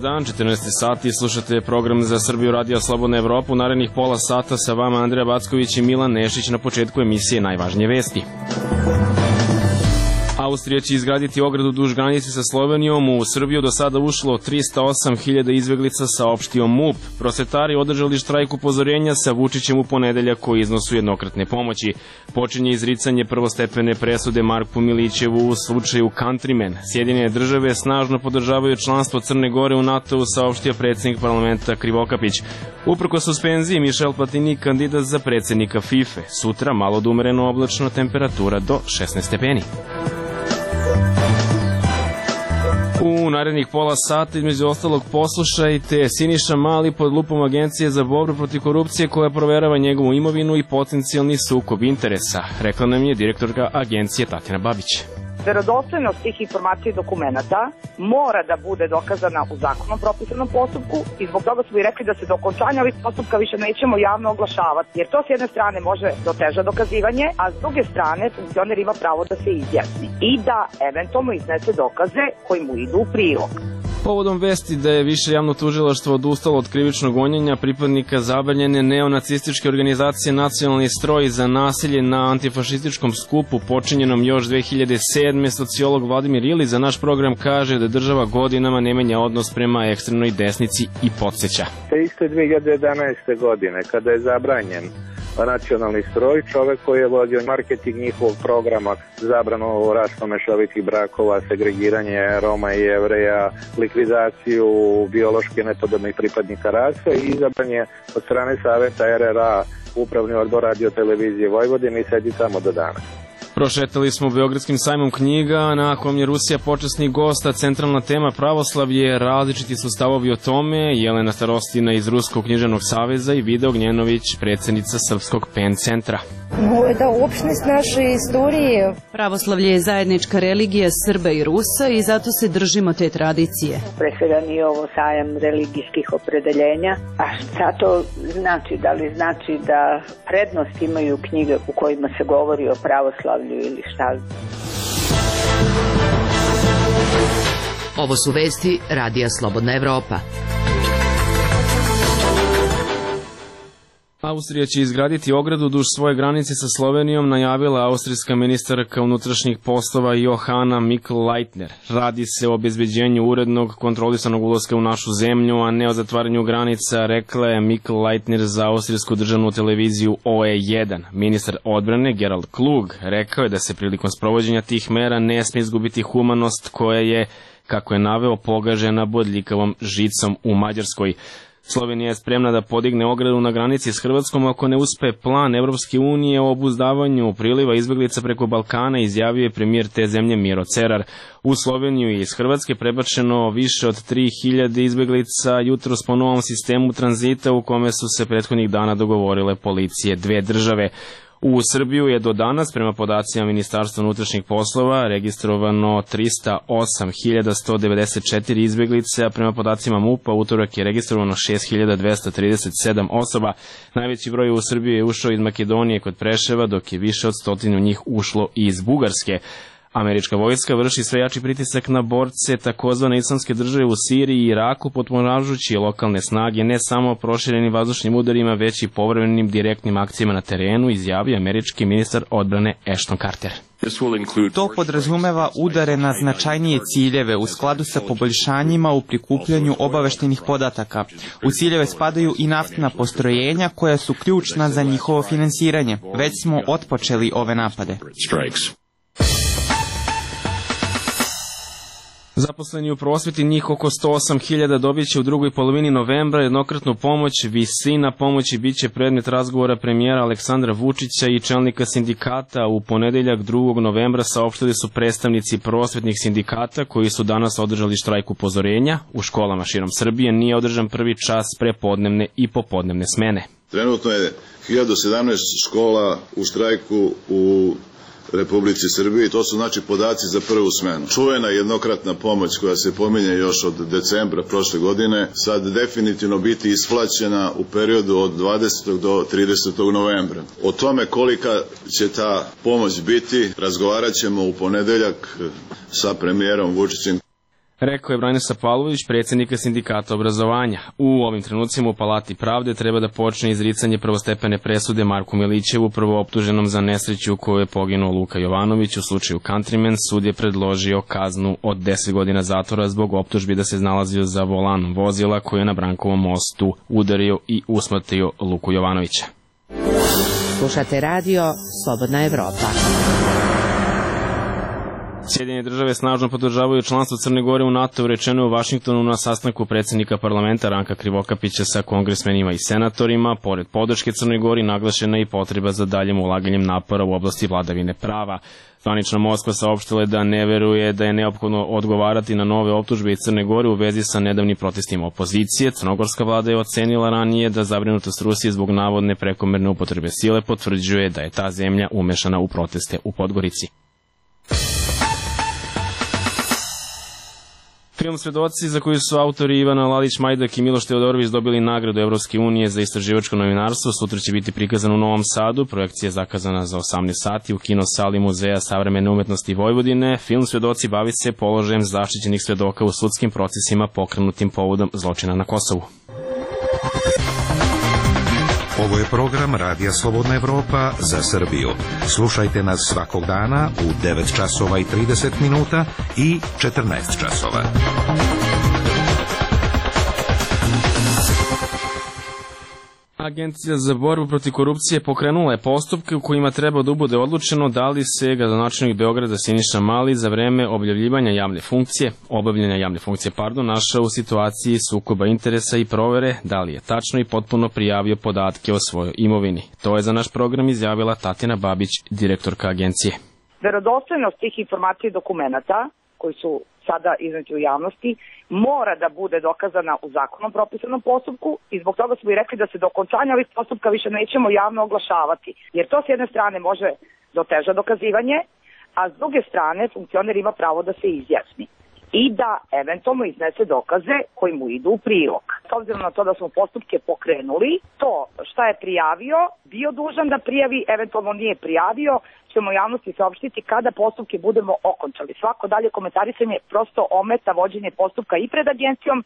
dan, 14 sati, slušate program za Srbiju Radio Slobodna Evropa. U narednih pola sata sa vama Andreja Backović i Milan Nešić. Na početku emisije najvažnije vesti. Austrija će izgraditi ogradu duž granice sa Slovenijom. U Srbiju do sada ušlo 308.000 izbeglica, saopštio MUP. Prosvetari održali štrajk upozorenja sa Vučićem u ponedeljak o iznosu jednokratne pomoći. Počinje izricanje prvostepene presude Marku Milićevu u slučaju Countryman. Sjedinjene države snažno podržavaju članstvo Crne Gore u NATO-u, saopštio predsjednik parlamenta Krivokapić. Uprkos suspenziji, Michel Platini kandidat za predsjednika FIFA. Sutra malo da umereno oblačno, temperatura do 16 stepeni. U narednih pola sata, između ostalog, poslušajte Siniša Mali pod lupom Agencije za borbu protiv korupcije koja proverava njegovu imovinu i potencijalni sukob interesa. Rekla nam je direktorka agencije Tatjana Babić. Verodostojnost tih informacija i dokumenata mora da bude dokazana u zakonom propisanom postupku i zbog toga smo i rekli da se do okončanja ovih postupka više nećemo javno oglašavati, jer to s jedne strane može da oteža dokazivanje, a s druge strane funkcioner ima pravo da se izjasni i da eventualno iznese dokaze koji mu idu u prilog. Povodom vesti da je više javno tužilaštvo odustalo od krivičnog gonjenja pripadnika zabranjene neonacističke organizacije Nacionalni stroj za nasilje na antifašističkom skupu počinjenom još 2007. sociolog Vladimir Ilić za naš program kaže da država godinama ne menja odnos prema ekstremnoj desnici i podsjeća. Te iste 2011. godine kada je zabranjen Nacionalni stroj, čovek koji je vodio marketing njihovog programa, zabranu rašto mešovitih brakova, segregiranje Roma i Jevreja, likvizaciju biološki nepodobnih pripadnika rase i izabran je od strane Saveta RRA Upravni odbor Radio televizije Vojvodine i sedi tamo do danas. Prošetali smo Beogradskim sajmom knjiga na kom je Rusija počasni gost, a centralna tema pravoslavlje. Različiti su stavovi o tome. Jelena Starostina iz Ruskog književnog saveza i Vida Ognjenović, predsjednica Srpskog PEN centra. Это общность нашей истории. Pravoslavlje je zajednička religija Srba i Rusa i zato se držimo te tradicije. Pre svega nije ovo sajam religijskih opredeljenja. A šta to znači? Da li znači da prednost imaju knjige u kojima se govori o pravoslavlju ili šta? Ovo su vesti Radija Slobodna Evropa. Austrija će izgraditi ogradu duž svoje granice sa Slovenijom, najavila austrijska ministarka unutrašnjih poslova Johanna Mikl-Leitner. Radi se o obezbeđenju urednog kontrolisanog ulaska u našu zemlju, a ne o zatvaranju granica, rekla je Mikl-Leitner za austrijsku državnu televiziju OE1. Ministar odbrane Gerald Klug rekao je da se prilikom sprovođenja tih mera ne smije izgubiti humanost koja je, kako je naveo, pogažena bodljikavom žicom u Mađarskoj. Slovenija je spremna da podigne ogradu na granici s Hrvatskom ako ne uspe plan Evropske unije o obuzdavanju priliva izbeglica preko Balkana, izjavio je premijer te zemlje Miro Cerar. U Sloveniju je iz Hrvatske prebačeno više od 3000 izbeglica jutros po novom sistemu tranzita u kome su se prethodnih dana dogovorile policije dve države. U Srbiju je do danas, prema podacima Ministarstva unutrašnjih poslova, registrovano 308.194 izbeglice, a prema podacima MUP-a utorak je registrovano 6.237 osoba. Najveći broj u Srbiju je ušao iz Makedonije kod Preševa, dok je više od 100 njih ušlo iz Bugarske. Američka vojska vrši sve jači pritisak na borce takozvane islamske države u Siriji i Iraku, potpomažući lokalne snage ne samo proširenim vazdušnim udarima, već i povremenim direktnim akcijama na terenu, izjavio američki ministar odbrane Ashton Carter. To podrazumeva udare na značajnije ciljeve u skladu sa poboljšanjima u prikupljanju obaveštenih podataka. U ciljeve spadaju i naftna postrojenja koja su ključna za njihovo finansiranje. Već smo otpočeli ove napade. Zaposleni u prosveti, njih oko 108.000, dobit će u drugoj polovini novembra jednokratnu pomoć. Visina pomoći bit će predmet razgovora premijera Aleksandra Vučića i čelnika sindikata. U ponedeljak 2. novembra saopštili su predstavnici prosvetnih sindikata koji su danas održali štrajk upozorenja. U školama širom Srbije nije održan prvi čas prepodnevne i popodnevne smene. Trenutno je 1017 škola u štrajku u Republici Srbiji, to su znači podaci za prvu smenu. Čuvena jednokratna pomoć koja se pominje još od decembra prošle godine, sad definitivno biti isplaćena u periodu od 20. do 30. novembra. O tome kolika će ta pomoć biti razgovarat ćemo u ponedeljak sa premijerom Vučićem. Rekao je Branislav Pavlović, predsjednika sindikata obrazovanja. U ovim trenucima u Palati pravde treba da počne izricanje prvostepene presude Marku Milićevu, prvooptuženom za nesreću u kojoj je poginuo Luka Jovanović. U slučaju Countryman sud je predložio kaznu od 10 godina zatvora zbog optužbi da se nalazio za volanom vozila koji je na Brankovom mostu udario i usmrtio Luku Jovanovića. Slušate radio Slobodna Evropa. Sjedinjene države snažno podržavaju članstvo Crne Gore u NATO, rečeno u Vašingtonu na sastanku predsjednika parlamenta Ranka Krivokapića sa kongresmenima i senatorima. Pored podrške Crnoj Gori naglašena je i potreba za daljim ulaganjem napora u oblasti vladavine prava. Zvanična Moskva saopštila je da ne veruje da je neophodno odgovarati na nove optužbe iz Crne Gore u vezi sa nedavnim protestima opozicije. Crnogorska vlada je ocenila ranije da zabrinutost Rusije zbog navodne prekomerne upotrebe sile potvrđuje da je ta zemlja umešana u proteste u Podgorici. Film Svedoci, za koji su autori Ivana Lalić-Majdak i Miloš Teodorović dobili nagradu Evropske unije za istraživačko novinarstvo, sutra će biti prikazan u Novom Sadu. Projekcija je zakazana za 18 sati u kinosali Muzeja savremene umetnosti Vojvodine. Film Svedoci bavi se položajem zaštićenih svedoka u sudskim procesima pokrenutim povodom zločina na Kosovu. Ovo je program Radija Slobodna Evropa za Srbiju. Slušajte nas svakog dana u 9 časova i 30 minuta i 14 časova. Agencija za borbu protiv korupcije pokrenula je postupke u kojima treba da bude odlučeno da li se gradonačelnik Beograda Siniša Mali za vreme obavljanja javne funkcije, našao u situaciji sukoba interesa i provere da li je tačno i potpuno prijavio podatke o svojoj imovini. To je za naš program izjavila Tatjana Babić, direktorka agencije. Verodostojnost tih informacija i dokumenata koji su sada izneti u javnosti, mora da bude dokazana u zakonom propisanom postupku i zbog toga smo i rekli da se do okončanja ovih postupka više nećemo javno oglašavati, jer to s jedne strane može da oteža dokazivanje, a s druge strane funkcioner ima pravo da se izjasni i da eventualno iznese dokaze koji mu idu u prilog. S obzirom na to da smo postupke pokrenuli, to šta je prijavio, bio dužan da prijavi, eventualno nije prijavio, ćemo javnosti saopštiti kada postupke budemo okončali. Svako dalje komentarisanje prosto ometa vođenje postupka i pred agencijom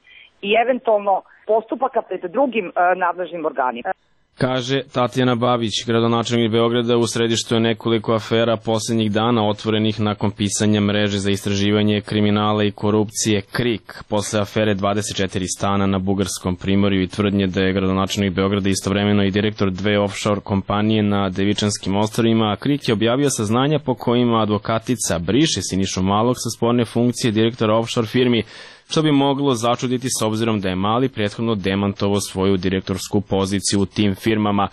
i eventualno postupaka pred drugim nadležnim organima. Kaže Tatjana Babić, gradonačelnik Beograda. U središtu je nekoliko afera posljednjih dana otvorenih nakon pisanja mreže za istraživanje kriminala i korupcije KRIK. Posle afere 24 stana na Bugarskom primorju i tvrdnje da je gradonačelnik Beograda istovremeno i direktor 2 offshore kompanije na Devičanskim ostrvima, KRIK je objavio saznanja po kojima advokatica briše Sinišu Malog sa sporne funkcije direktora offshore firmi, što bi moglo začuditi s obzirom da je Mali prethodno demantovao svoju direktorsku poziciju u tim firmama.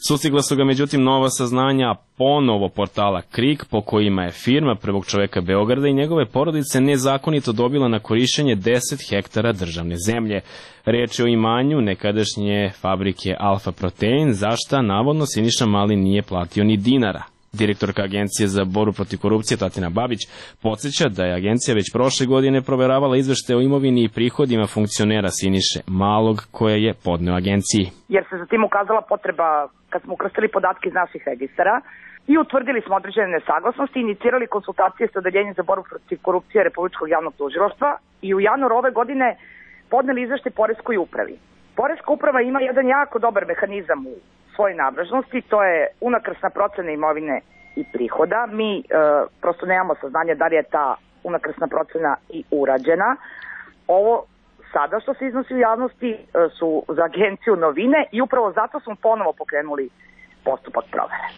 Sustigla su ga međutim nova saznanja ponovo portala KRIK po kojima je firma prvog čoveka Beograda i njegove porodice nezakonito dobila na korišćenje 10 hektara državne zemlje. Reč je o imanju nekadašnje fabrike Alfa Protein, za šta navodno Siniša Mali nije platio ni dinara. Direktorka Agencije za borbu protiv korupcije Tatjana Babić podsjeća da je agencija već prošle godine proveravala izveštaje o imovini i prihodima funkcionera Siniše Malog koje je podneo agenciji. Jer se za tim ukazala potreba kad smo ukrstili podatke iz naših registara i utvrdili smo određene nesaglasnosti, inicirali konsultacije sa Odeljenjem za borbu protiv korupcije Republičkog javnog tužilaštva i u januaru ove godine podneli izveštaj Poreskoj upravi. Poreska uprava ima jedan jako dobar mehanizam u svoje nadležnosti, to je unakrsna procena imovine i prihoda. Mi prosto nemamo saznanja da li je ta unakrsna procena i urađena. Ovo sada što se iznosi u javnosti su za agenciju novine i upravo zato smo ponovo pokrenuli postupak provere.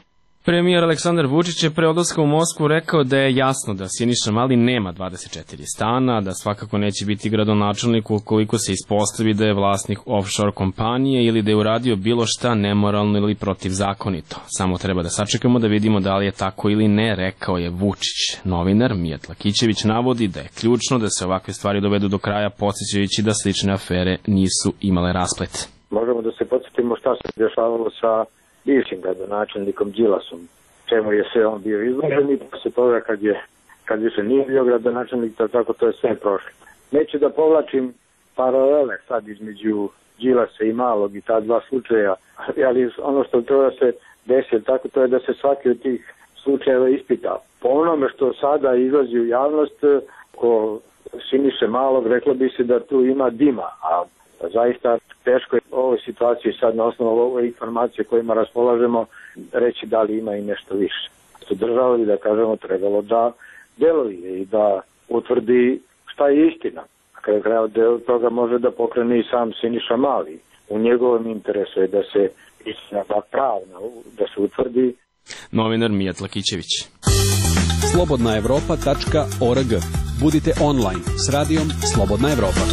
Premijer Aleksandar Vučić je pre odlaska u Moskvu rekao da je jasno da Siniša Mali nema 24 stana, da svakako neće biti gradonačelnik ukoliko se ispostavi da je vlasnik offshore kompanije ili da je uradio bilo šta nemoralno ili protivzakonito. Samo treba da sačekamo da vidimo da li je tako ili ne, rekao je Vučić. Novinar Mijat Lakićević navodi da je ključno da se ovakve stvari dovedu do kraja, podsjećajući da slične afere nisu imale rasplet. Možemo da se podsjetimo šta se dešavalo sa bivšim gradonačelnikom Đilasom, čemu je sve on bio izložen i posle toga kad više nije bio gradonačelnik, tako to je sve prošlo. Neću da povlačim paralele sad između Đilasa i Malog i ta dva slučaja, ali ono što treba da se desi, tako to je da se svaki od tih slučajeva ispita. Po onome što sada izlazi u javnost, ko Siniše Malog, reklo bi se da tu ima dima, a zaista teško je u ovoj situaciji sad na osnovu ove informacije kojima raspolažemo reći da li ima i nešto više. Država bi, da kažemo, trebalo da deluje i da utvrdi šta je istina. Na kraju kraja deo toga može da pokrene i sam Siniša Mali. U njegovom interesu je da se istina pravna, da se utvrdi. Novinar Mijat Lakićević. slobodnaevropa.org. Budite online s radijom Slobodna Evropa.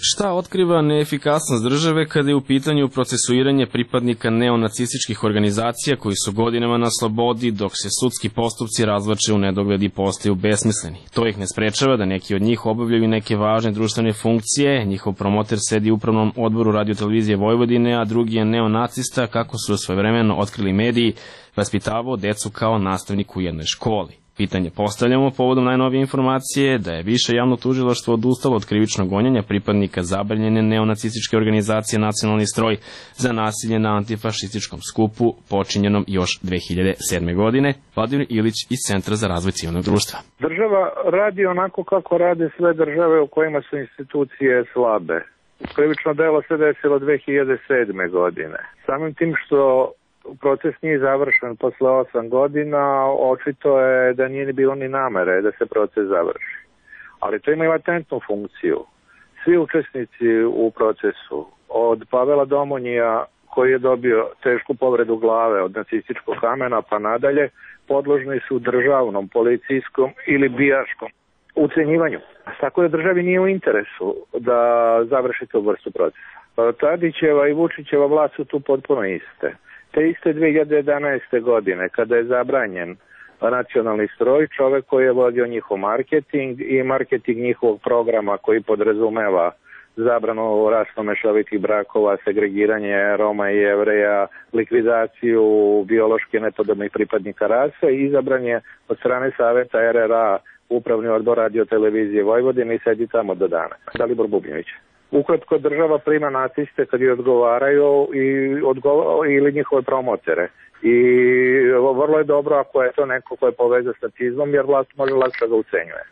Šta otkriva neefikasnost države kada je u pitanju procesuiranje pripadnika neonacističkih organizacija koji su godinama na slobodi, dok se sudski postupci razvlače u nedogled i postaju besmisleni? To ih ne sprečava da neki od njih obavljaju neke važne društvene funkcije. Njihov promoter sedi u upravnom odboru Radio-televizije Vojvodine, a drugi je neonacista, kako su svojevremeno otkrili mediji, vaspitavao decu kao nastavnik u jednoj školi. Pitanje postavljamo povodom najnovije informacije da je Više javno tužilaštvo odustalo od krivičnog gonjenja pripadnika zabranjene neonacističke organizacije Nacionalni stroj za nasilje na antifašističkom skupu počinjenom još 2007. godine. Vladimir Ilić iz Centra za razvoj civilnog društva. Država radi onako kako rade sve države u kojima su institucije slabe. Krivično delo se desilo 2007. godine. Samim tim što proces nije završen posle 8 godina, očito je da nije bilo ni namere da se proces završi. Ali to ima i latentnu funkciju. Svi učesnici u procesu, od Pavela Domonjija, koji je dobio tešku povredu glave od nacističkog kamena pa nadalje, podložni su državnom, policijskom ili bijaškom ucenjivanju. Tako da državi nije u interesu da završi tu vrstu procesa. Tadićeva i Vučićeva vlast su tu potpuno iste. Te iste 2011. godine, kada je zabranjen nacionalni stroj, čovek koji je vodio njihov marketing i marketing njihovog programa koji podrazumeva zabranu rasno mešovitih brakova, segregiranje Roma i Jevreja, likvidaciju biološki nepodobnih pripadnika rase, izabran je od strane Saveta RRA upravni odbor Radio-televizije Vojvodine i sedi tamo do dana. Dalibor Bubnjević. Ukratko, država prima naciste kad je odgovaraju ili njihove promotere. I vrlo je dobro ako je to neko ko je povezan s nacizmom, jer vlast može lakše ga ucenjuje.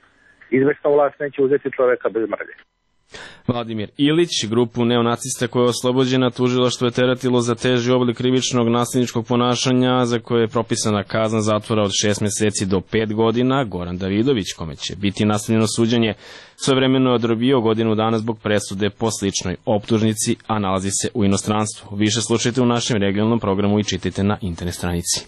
Izvesna vlast neće uzeti čoveka bez mrlje. Vladimir Ilić, grupu neonacista koja je oslobođena, tužilaštvo je teretilo za teži oblik krivičnog nasilničkog ponašanja za koje je propisana kazna zatvora od 6 meseci do 5 godina. Goran Davidović, kome će biti nastavljeno suđenje, svojevremeno je odrobio godinu dana zbog presude po sličnoj optužnici, a nalazi se u inostranstvu. Više slušajte u našem regionalnom programu i čitajte na internet stranici.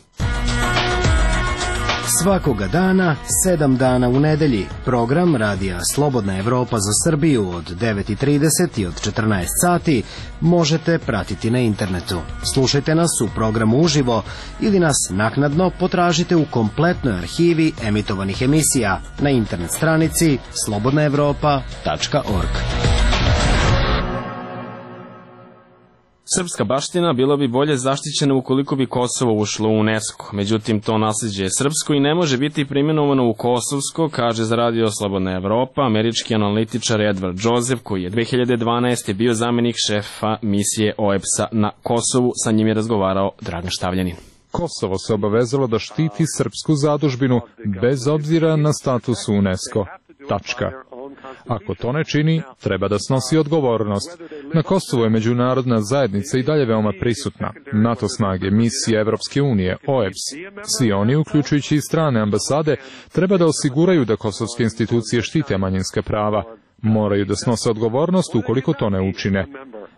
Svakoga dana, 7 dana u nedelji, program Radija Slobodna Evropa za Srbiju od 9:30 i od 14 sati možete pratiti na internetu. Slušajte nas u programu uživo ili nas naknadno potražite u kompletnoj arhivi emitovanih emisija na internet stranici slobodnaevropa.org. Srpska baština bila bi bolje zaštićena ukoliko bi Kosovo ušlo u UNESCO. Međutim, to nasleđe je srpsko i ne može biti primjenovano u kosovsko, kaže za Radio Slobodna Evropa američki analitičar Edward Joseph, koji je 2012. bio zamenik šefa misije OEBS-a na Kosovu. Sa njim je razgovarao Dragan Štavljanin. Kosovo se obavezalo da štiti srpsku zadužbinu bez obzira na status UNESCO. Tačka. Ako to ne čini, treba da snosi odgovornost. Na Kosovu je međunarodna zajednica i dalje veoma prisutna. NATO snage, misije Evropske unije, OEBS. Svi oni, uključujući i strane ambasade, treba da osiguraju da kosovske institucije štite manjinska prava. Moraju da snose odgovornost ukoliko to ne učine.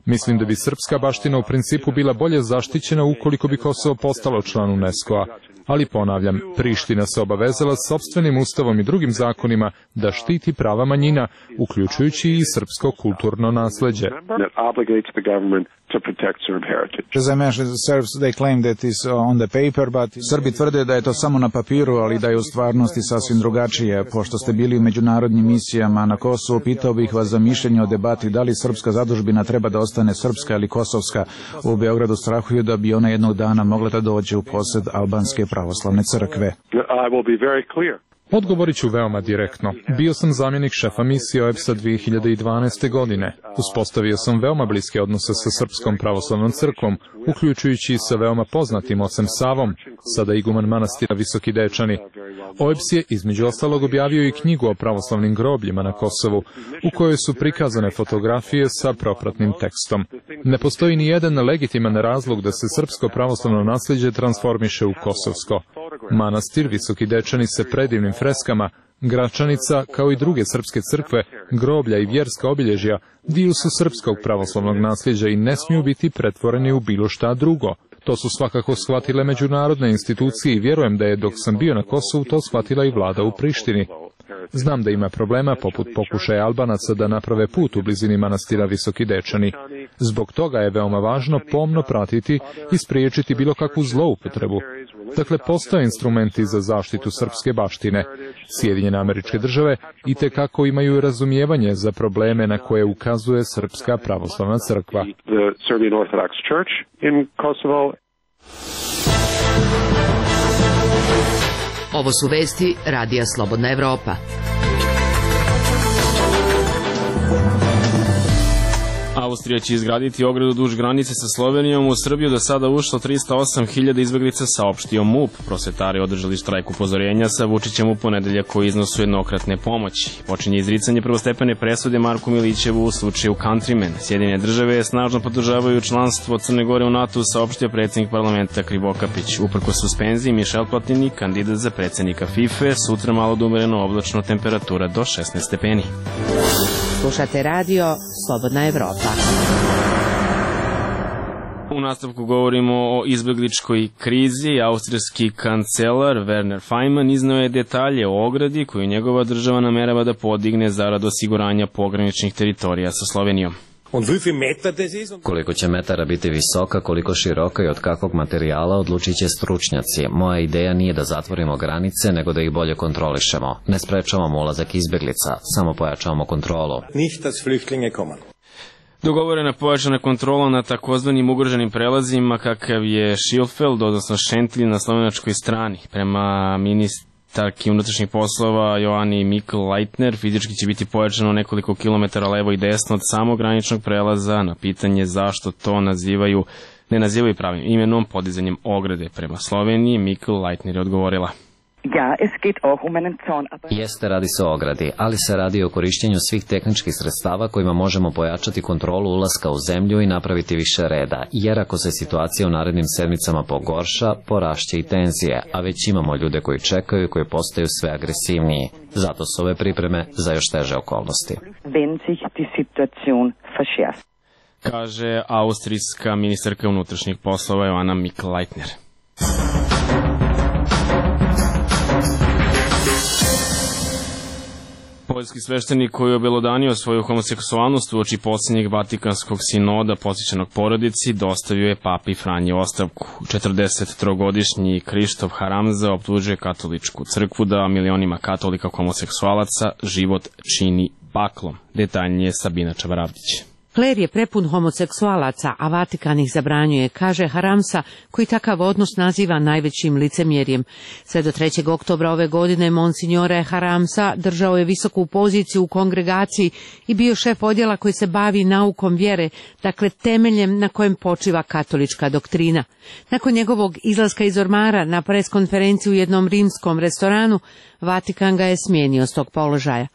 Mislim da bi srpska baština u principu bila bolje zaštićena ukoliko bi Kosovo postalo član UNESCO-a. Ali ponavljam, Priština se obavezala sopstvenim ustavom i drugim zakonima da štiti prava manjina, uključujući i srpsko kulturno nasleđe. Srbi tvrde da je to samo na papiru, ali da je u stvarnosti sasvim drugačije. Pošto ste bili u međunarodnim misijama na Kosovu, pitao bih vas za mišljenje o debati da li srpska zadužbina treba da ostane srpska ili kosovska. U Beogradu strahuju da bi ona jednog dana mogla da dođe u posed albanske pravoslavne crkve. Odgovorit ću veoma direktno. Bio sam zamjenik šefa misije OEBS-a 2012. godine. Uspostavio sam veoma bliske odnose sa Srpskom pravoslavnom crkvom, uključujući i sa veoma poznatim ocem Savom, sada iguman manastira Visoki Dečani. OEBS je između ostalog objavio i knjigu o pravoslavnim grobljima na Kosovu, u kojoj su prikazane fotografije sa propratnim tekstom. Ne postoji ni jedan legitiman razlog da se srpsko pravoslavno naslijeđe transformiše u kosovsko. Manastir Visoki Dečani sa predivnim freskama, Gračanica, kao i druge srpske crkve, groblja i vjerska obilježja, dio su srpskog pravoslavnog nasljeđa i ne smiju biti pretvoreni u bilo šta drugo. To su svakako shvatile međunarodne institucije i vjerujem da je dok sam bio na Kosovu to shvatila i vlada u Prištini. Znam da ima problema poput pokušaja Albanaca da naprave put u blizini manastira Visoki Dečani. Zbog toga je veoma važno pomno pratiti i spriječiti bilo kakvu zloupotrebu. Dakle, postoje instrumenti za zaštitu srpske baštine. Sjedinjene Američke Države itekako imaju razumijevanje za probleme na koje ukazuje Srpska pravoslavna crkva. Ovo su vesti Radija Slobodna Evropa. Austrija će izgraditi ogradu duž granice sa Slovenijom. U Srbiju do sada ušlo 308.000 izbeglica, saopštio MUP. Prosvetari održali štrajk upozorenja sa Vučićem u ponedeljak koji iznosu jednokratne pomoći. Počinje izricanje prvostepene presude Marku Milićevu u slučaju Countryman. Sjedinjene države snažno podržavaju članstvo Crne Gore u NATO, saopštio predsjednik parlamenta Krivokapić. Uprkos suspenziji, Mišel Platini, kandidat za predsjednika FIFA, sutra malo da umereno oblačno, temperatura do 16 stepeni. Slušate radio Slobodna Evropa. U nastavku govorimo o izbegličkoj krizi. Austrijski kancelar Werner Faymann izneo je detalje o ogradi koju njegova država namerava da podigne zarad osiguranja pograničnih teritorija sa Slovenijom. Koliko će metara biti visoka, koliko široka i od kakvog materijala odlučit će stručnjaci. Moja ideja nije da zatvorimo granice, nego da ih bolje kontrolišemo. Ne sprečavamo ulazak izbeglica, samo pojačavamo kontrolu. Dogovorena pojačana kontrola na takozvanim ugroženim prelazima kakav je Schilfeld, odnosno Šentilj na slovenačkoj strani. Prema ministarki unutrašnjih poslova Joani Mikl-Leitner, fizički će biti pojačano nekoliko kilometara levo i desno od samog graničnog prelaza. Na pitanje zašto to ne nazivaju pravim imenom, podizanjem ograde prema Sloveniji, Mikl-Leitner je odgovorila. Jeste, radi se o ogradi, ali se radi o korištenju svih tehničkih sredstava kojima možemo pojačati kontrolu ulaska u zemlju i napraviti više reda, jer ako se situacija u narednim sedmicama pogorša, porašće i tenzije, a već imamo ljude koji čekaju i koji postaju sve agresivniji. Zato su ove pripreme za još teže okolnosti. Kaže austrijska ministarka unutrašnjih poslova Joana Mikl-Leitner. Poljski sveštenik koji je obelodanio svoju homoseksualnost uoči posljednjeg Vatikanskog sinoda posvećenog porodici dostavio je papi Franji ostavku. 43-godišnji Krištof Haramza optužuje katoličku crkvu da milionima katolika homoseksualaca život čini baklom. Detaljnije Sabina Čavaravdić. Kler je prepun homoseksualaca, a Vatikan ih zabranjuje, kaže Haramsa, koji takav odnos naziva najvećim licemjerjem. Sve do 3. oktobra ove godine Monsignore Haramsa držao je visoku poziciju u kongregaciji i bio šef odjela koji se bavi naukom vjere, dakle temeljem na kojem počiva katolička doktrina. Nakon njegovog izlaska iz ormara na preskonferenciju u jednom rimskom restoranu, Vatikan ga je smijenio s tog položaja.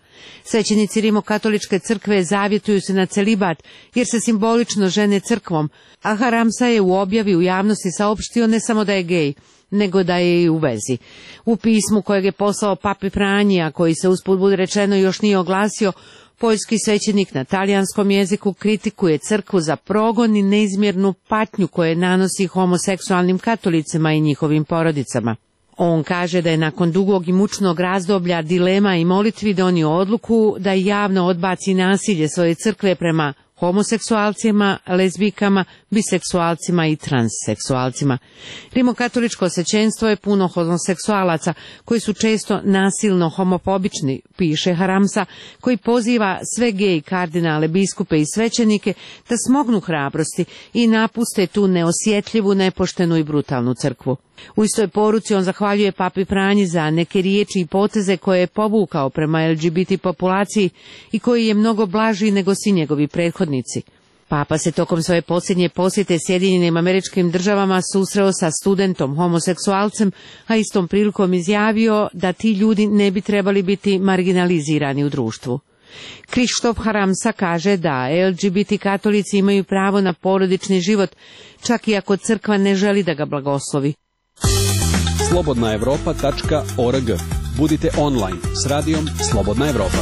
Svećenici Rimokatoličke crkve zavjetuju se na celibat jer se simbolično žene crkvom, a Haramsa je u objavi u javnosti saopštio ne samo da je gej, nego da je i u vezi. U pismu kojeg je poslao papi Franji, a koji se usput budi rečeno još nije oglasio, poljski svećenik na talijanskom jeziku kritikuje crkvu za progon i neizmjernu patnju koje nanosi homoseksualnim katolicima i njihovim porodicama. On kaže da je nakon dugog i mučnog razdoblja dilema i molitvi donio odluku da javno odbaci nasilje svoje crkve prema homoseksualcima, lezbijkama, biseksualcima i transseksualcima. Rimokatoličko svećenstvo je puno homoseksualaca koji su često nasilno homofobični, piše Haramsa, koji poziva sve gej kardinale, biskupe i svećenike da smognu hrabrosti i napuste tu neosjetljivu, nepoštenu i brutalnu crkvu. U istoj poruci on zahvaljuje papi Franji za neke riječi i poteze koje je povukao prema LGBT populaciji i koji je mnogo blaži nego svi njegovi prethodnici. Papa se tokom svoje posljednje posjete Sjedinjenim Američkim Državama susreo sa studentom homoseksualcem, a istom prilikom izjavio da ti ljudi ne bi trebali biti marginalizirani u društvu. Krištof Haramsa kaže da LGBT katolici imaju pravo na porodični život, čak i ako crkva ne želi da ga blagoslovi. slobodnaevropa.org. Budite online s radijom Slobodna Evropa.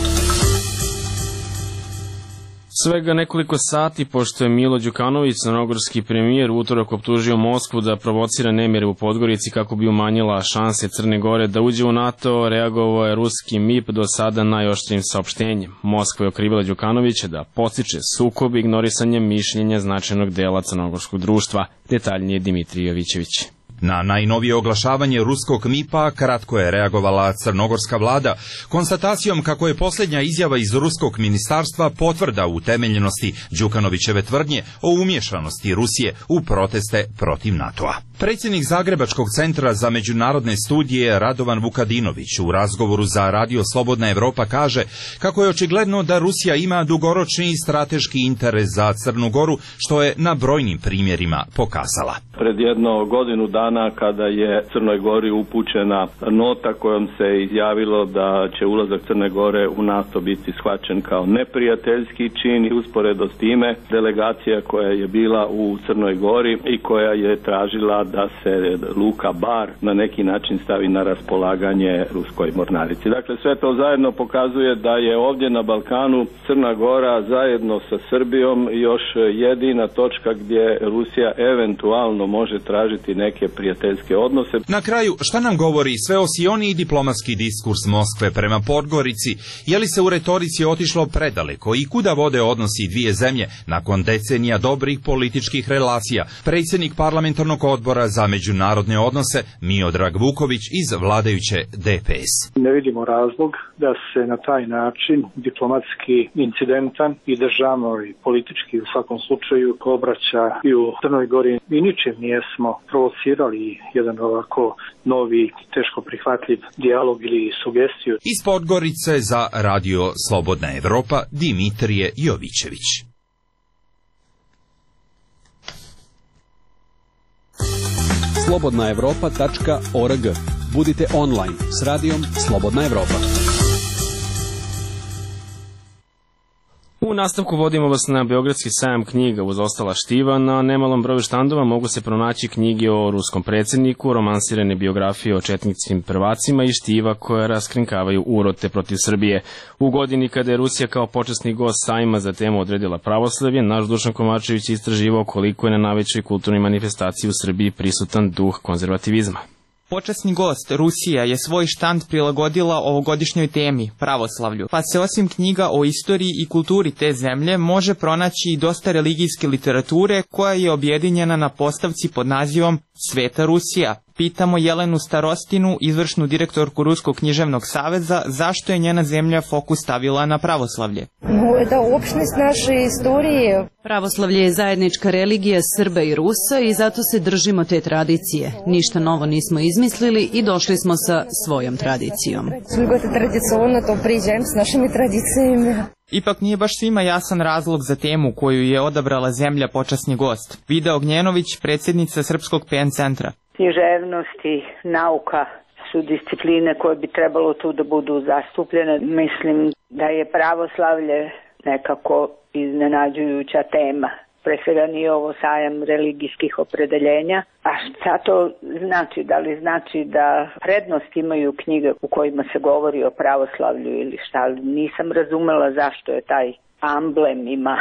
Svega nekoliko sati, pošto je Milo Đukanović, crnogorski premijer, utorak optužio Moskvu da provocira nemire u Podgorici kako bi umanjila šanse Crne Gore da uđe u NATO, reagovao je ruski MIP do sada najoštrijim saopštenjem. Moskva je okrivila Đukanovića da podstiče sukob ignorisanjem mišljenja značajnog dela crnogorskog društva. Detaljnije Dimitrij Jovićević. Na najnovije oglašavanje ruskog MIP-a kratko je reagovala crnogorska vlada konstatacijom kako je posljednja izjava iz ruskog ministarstva potvrda utemeljenosti Đukanovićeve tvrdnje o umješanosti Rusije u proteste protiv NATO-a. Predsjednik Zagrebačkog centra za međunarodne studije Radovan Vukadinović u razgovoru za Radio Slobodna Evropa kaže kako je očigledno da Rusija ima dugoročni strateški interes za Crnu Goru, što je na brojnim primjerima pokazala. Pred jedno godinu dana kada je Crnoj Gori upućena nota kojom se izjavilo da će ulazak Crne Gore u NATO biti shvaćen kao neprijateljski čin, i usporedo s time delegacija koja je bila u Crnoj Gori i koja je tražila da se luka Bar na neki način stavi na raspolaganje ruskoj mornarici. Dakle, sve to zajedno pokazuje da je ovdje na Balkanu Crna Gora zajedno sa Srbijom još jedina točka gdje Rusija eventualno može tražiti neke prijateljske odnose. Na kraju, šta nam govori sveosioniji diplomatski diskurs Moskve prema Podgorici? Je li se u retorici otišlo predaleko i kuda vode odnosi dvije zemlje nakon decenija dobrih političkih relacija? Predsjednik parlamentarnog odbora za međunarodne odnose Miodrag Vuković iz vladajuće DPS. Ne vidimo razlog da se na taj način diplomatski incidentan i državno i politički u svakom slučaju obraća i u Crnoj Gori. Mi ničim nijesmo provocirali jedan ovako novi, teško prihvatljiv dijalog ili sugestiju. Iz Podgorice za Radio Slobodna Evropa Dimitrije Jovićević. slobodnaevropa.org. Budite online s radijom Slobodna Evropa. U nastavku vodimo vas na Beogradski sajam knjiga. Uz ostala štiva, na nemalom broju štandova mogu se pronaći knjige o ruskom predsjedniku, romansirane biografije o četničkim prvacima i štiva koje raskrinkavaju urote protiv Srbije. U godini kada je Rusija kao počasni gost sajma za temu odredila pravoslavlje, naš Dušan Kovačević istraživao koliko je na najvećoj kulturnoj manifestaciji u Srbiji prisutan duh konzervativizma. Počasni gost Rusija je svoj štand prilagodila ovogodišnjoj temi, pravoslavlju, pa se osim knjiga o istoriji i kulturi te zemlje može pronaći i dosta religijske literature koja je objedinjena na postavci pod nazivom Sveta Rusija. Pitamo Jelenu Starostinu, izvršnu direktorku Ruskog književnog saveza, zašto je njena zemlja fokus stavila na pravoslavlje. Это общность naše istorije. Pravoslavlje je zajednička religija Srba i Rusa i zato se držimo te tradicije. Ništa novo nismo izmislili i došli smo sa svojom tradicijom. Tradicionalno to priđajem s našimi tradicijama. Ipak nije baš svima jasan razlog za temu koju je odabrala zemlja počasni gost. Vida Ognjenović, predsjednica Srpskog PN centra. Književnost i nauka su discipline koje bi trebalo tu da budu zastupljene. Mislim da je pravoslavlje nekako iznenađujuća tema. Pre svega nije ovo sajam religijskih opredeljenja. A šta to znači? Da li znači da prednost imaju knjige u kojima se govori o pravoslavlju ili šta? Nisam razumela zašto je taj amblem ima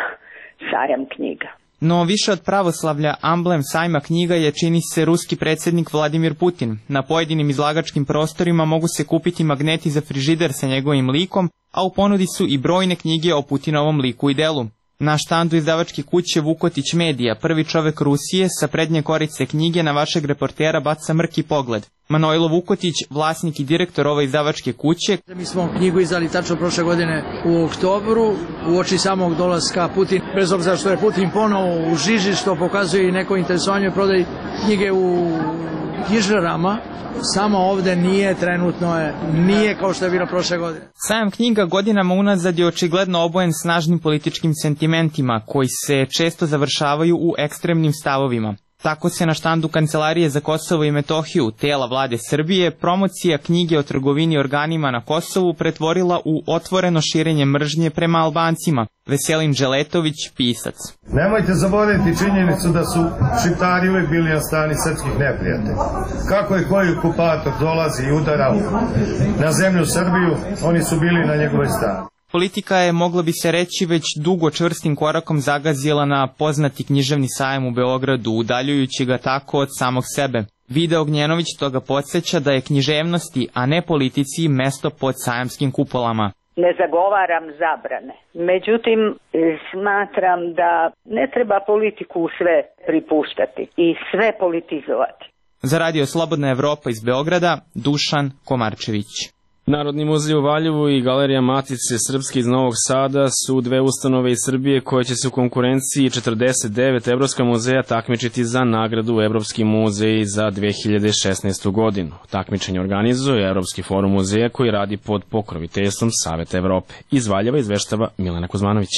sajam knjiga. No više od pravoslavlja, amblem sajma knjiga je, čini se, ruski predsjednik Vladimir Putin. Na pojedinim izlagačkim prostorima mogu se kupiti magneti za frižider sa njegovim likom, a u ponudi su i brojne knjige o Putinovom liku i delu. Na štandu izdavačke kuće Vukotić Medija, prvi čovek Rusije, sa prednje korice knjige na vašeg reportera baca mrki pogled. Manojlo Vukotić, vlasnik i direktor ove izdavačke kuće. Mi smo knjigu izdali tačno prošle godine u oktobru, uoči samog dolaska Putina. Bez obzira što je Putin ponovo u žiži, što pokazuje i neko interesovanje prodaji knjige u knjižarama, samo ovde nije kao što je bilo prošle godine. Sajam knjiga godinama unazad je očigledno obojen snažnim političkim sentimentima, koji se često završavaju u ekstremnim stavovima. Tako se na štandu Kancelarije za Kosovo i Metohiju, tela vlade Srbije, promocija knjige o trgovini organima na Kosovu pretvorila u otvoreno širenje mržnje prema Albancima. Veselin Dželetović, pisac. Nemojte zaboraviti činjenicu da su Šiptari uvijek bili na strani srpskih neprijatelja. Kako je koji okupator dolazi i udara na zemlju Srbiju, oni su bili na njegovoj strani. Politika je, mogla bi se reći, već dugo čvrstim korakom zagazila na poznati književni sajam u Beogradu, udaljujući ga tako od samog sebe. Vida Ognjenović toga podsjeća da je književnosti, a ne politici, mesto pod sajamskim kupolama. Ne zagovaram zabrane. Međutim, smatram da ne treba politiku u sve pripuštati i sve politizovati. Za Radio Slobodna Evropa iz Beograda, Dušan Komarčević. Narodni muzej u Valjevu i Galerija Matice Srpske iz Novog Sada su dve ustanove iz Srbije koje će se u konkurenciji 49 evropska muzeja takmičiti za nagradu Evropski muzej za 2016. godinu. Takmičenje organizuje Evropski forum muzeja koji radi pod pokroviteljstvom Saveta Evrope. Iz Valjeva izveštava Milena Kuzmanović.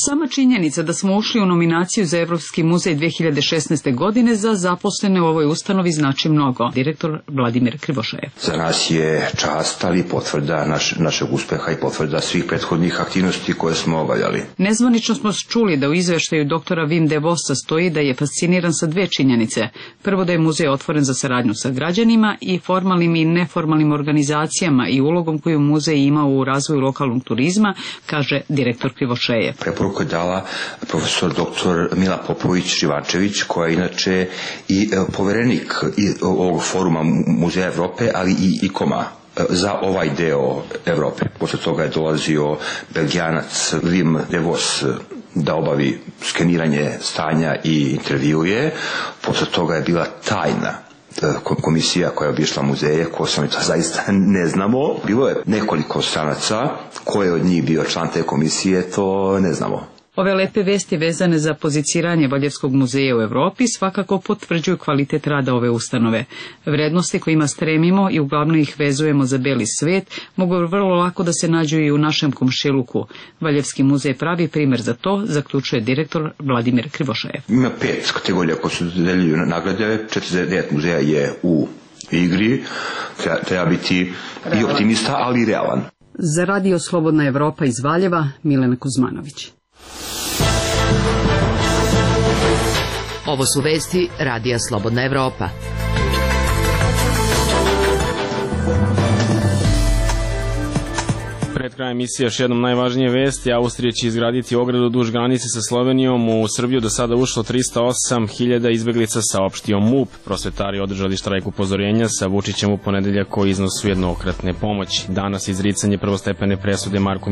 Sama činjenica da smo ušli u nominaciju za Evropski muzej 2016. godine za zaposlene u ovoj ustanovi znači mnogo. Direktor Vladimir Krivošajev. Za nas je čast, ali potvrda našeg uspeha i potvrda svih prethodnih aktivnosti koje smo obavljali. Nezvanično smo čuli da u izveštaju doktora Wim de Vossa stoji da je fasciniran sa dve činjenice. Prvo, da je muzej otvoren za saradnju sa građanima i formalnim i neformalnim organizacijama i ulogom koju muzej ima u razvoju lokalnog turizma, kaže direktor Krivošajev. Preporuku je dala profesor dr. Mila Popović-Živančević, koja je inače i poverenik ovog foruma Muzeja Evrope, ali i ICOM-a za ovaj deo Evrope. Posle toga je dolazio Belgijanac Wim de Vos da obavi skeniranje stanja i intervjuje. Posle toga je bila tajna komisija koja je obišla muzeje, ko sam to zaista ne znamo. Bilo je nekoliko stranaca, ko je od njih bio član te komisije, to ne znamo. Ove lepe vesti vezane za poziciranje Valjevskog muzeja u Evropi svakako potvrđuju kvalitet rada ove ustanove. Vrednosti kojima stremimo i uglavnom ih vezujemo za beli svet mogu vrlo lako da se nađu i u našem komšiluku. Valjevski muzej pravi primer za to, zaključuje direktor Vladimir Krivošajev. Ima 5 kategorija koje su deljuju nagrade, 49 muzeja je u igri, treba biti i optimista, ali i realan. Za Radio Slobodna Evropa iz Valjeva, Milena Kuzmanović. Ovo su vesti Radija Slobodna Evropa. Pred krajem emisije još jednom najvažnije vesti. Austrija će izgraditi ogradu duž granice sa Slovenijom. U Srbiju do sada ušlo 308.000 izbeglica, saopštio MUP. Prosvetari održali štrajk upozorenja sa Vučićem u ponedeljak o iznosu jednokratne pomoći. Danas izricanje prvostepene presude Marku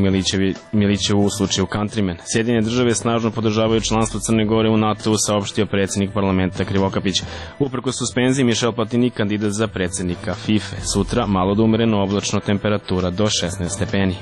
Milićevu u slučaju Countryman. Sjedinjene države snažno podržavaju članstvo Crne Gore u NATO-u, saopštio predsjednik parlamenta Krivokapić. Uprkos suspenziji, Michel Platini kandidat za predsjednika FIFA. Sutra malo da umereno, oblačno, temperatura do 16 stepeni.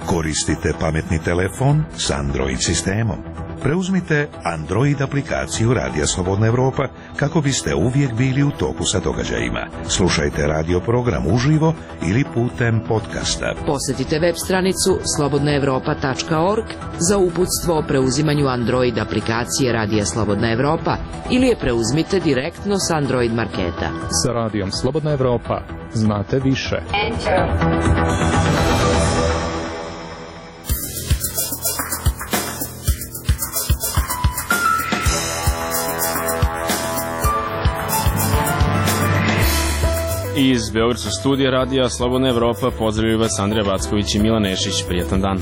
Koristite pametni telefon s Android sistemom. Preuzmite Android aplikaciju Radija Slobodna Evropa kako biste uvijek bili u toku sa događajima. Slušajte radio program uživo ili putem podcasta. Posjetite web stranicu slobodnaevropa.org za uputstvo o preuzimanju Android aplikacije Radija Slobodna Evropa ili je preuzmite direktno s Android marketa. Sa Radijom Slobodna Evropa znate više. Iz Beogradskog studija Radija Slobodna Evropa pozdravljaju vas Andrija Vacković i Milan Nešić. Prijetan dan.